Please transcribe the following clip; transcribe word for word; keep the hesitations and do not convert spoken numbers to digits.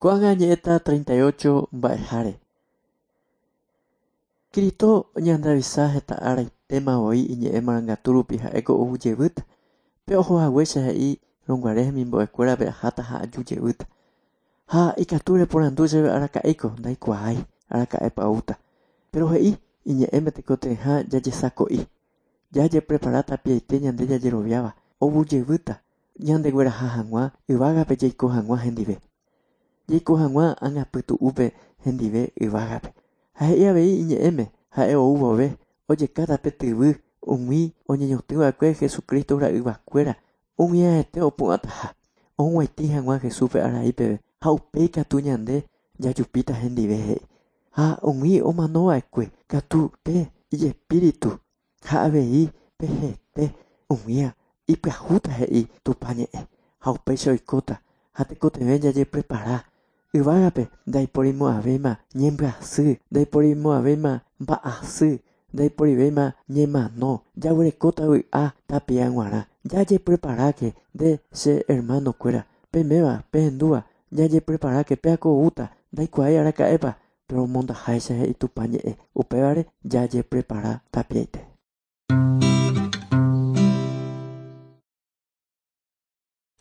Ko'ág̃a añe'ẽta treinta y ocho mba'eháre. Cristo ñandeavisa heta araitéma voi iñe'ẽ marangatu rupi ha'éko oujevýta. Pe oho haguéicha he'i rõguare hemimbo'ekuérape aháta ha ajujevýta. Ha ikatu reporandu chéve araka'éiko ndaikuaái araka'épa oúta. Pero he'i iñe'ẽme tekotevẽha jajesako'i. Jajeprepara tapiaite ñande jajeroviáva oujevýta ñandegueraha hag̃ua yvágape jaiko hag̃ua hendive. Jaiko hag̃ua ág̃apytu'úpe hendive yvágape. Ha he'i avei iñe'ẽme ha'e ou vove ojekáta pe tyvy umi oñeñotỹva'ekue Jesucristo ra'yvakuéra umi aete opu'ãtaha. Og̃uaitĩ hag̃ua Jesúspe araípeve ha upéi katu ñande jajupíta hendive he'i. Ha umi omanova'ekue katu pe ijespíritu ha avei pe hete umía ipyahúta he'i Tupã ñe'ẽ. Ha upéicha oikóta ha tekotevẽ jajeprepara. Yvágape ndaiporimo'ãvéima ñembyasy, ndaiporimo'ãvéima mba'asy, ndaiporivéima ñemano. Jaguerekóta vy'a tapia g̃uarã. Jajepreparáke nde che hermano-kuéra. Peiméva, pehendúva, jajepreparáke péako oúta ndaikuaái araka'épa, pero omondaháicha he'i Tupã ñe'ẽ. Upévare jajeprepara tapiaite.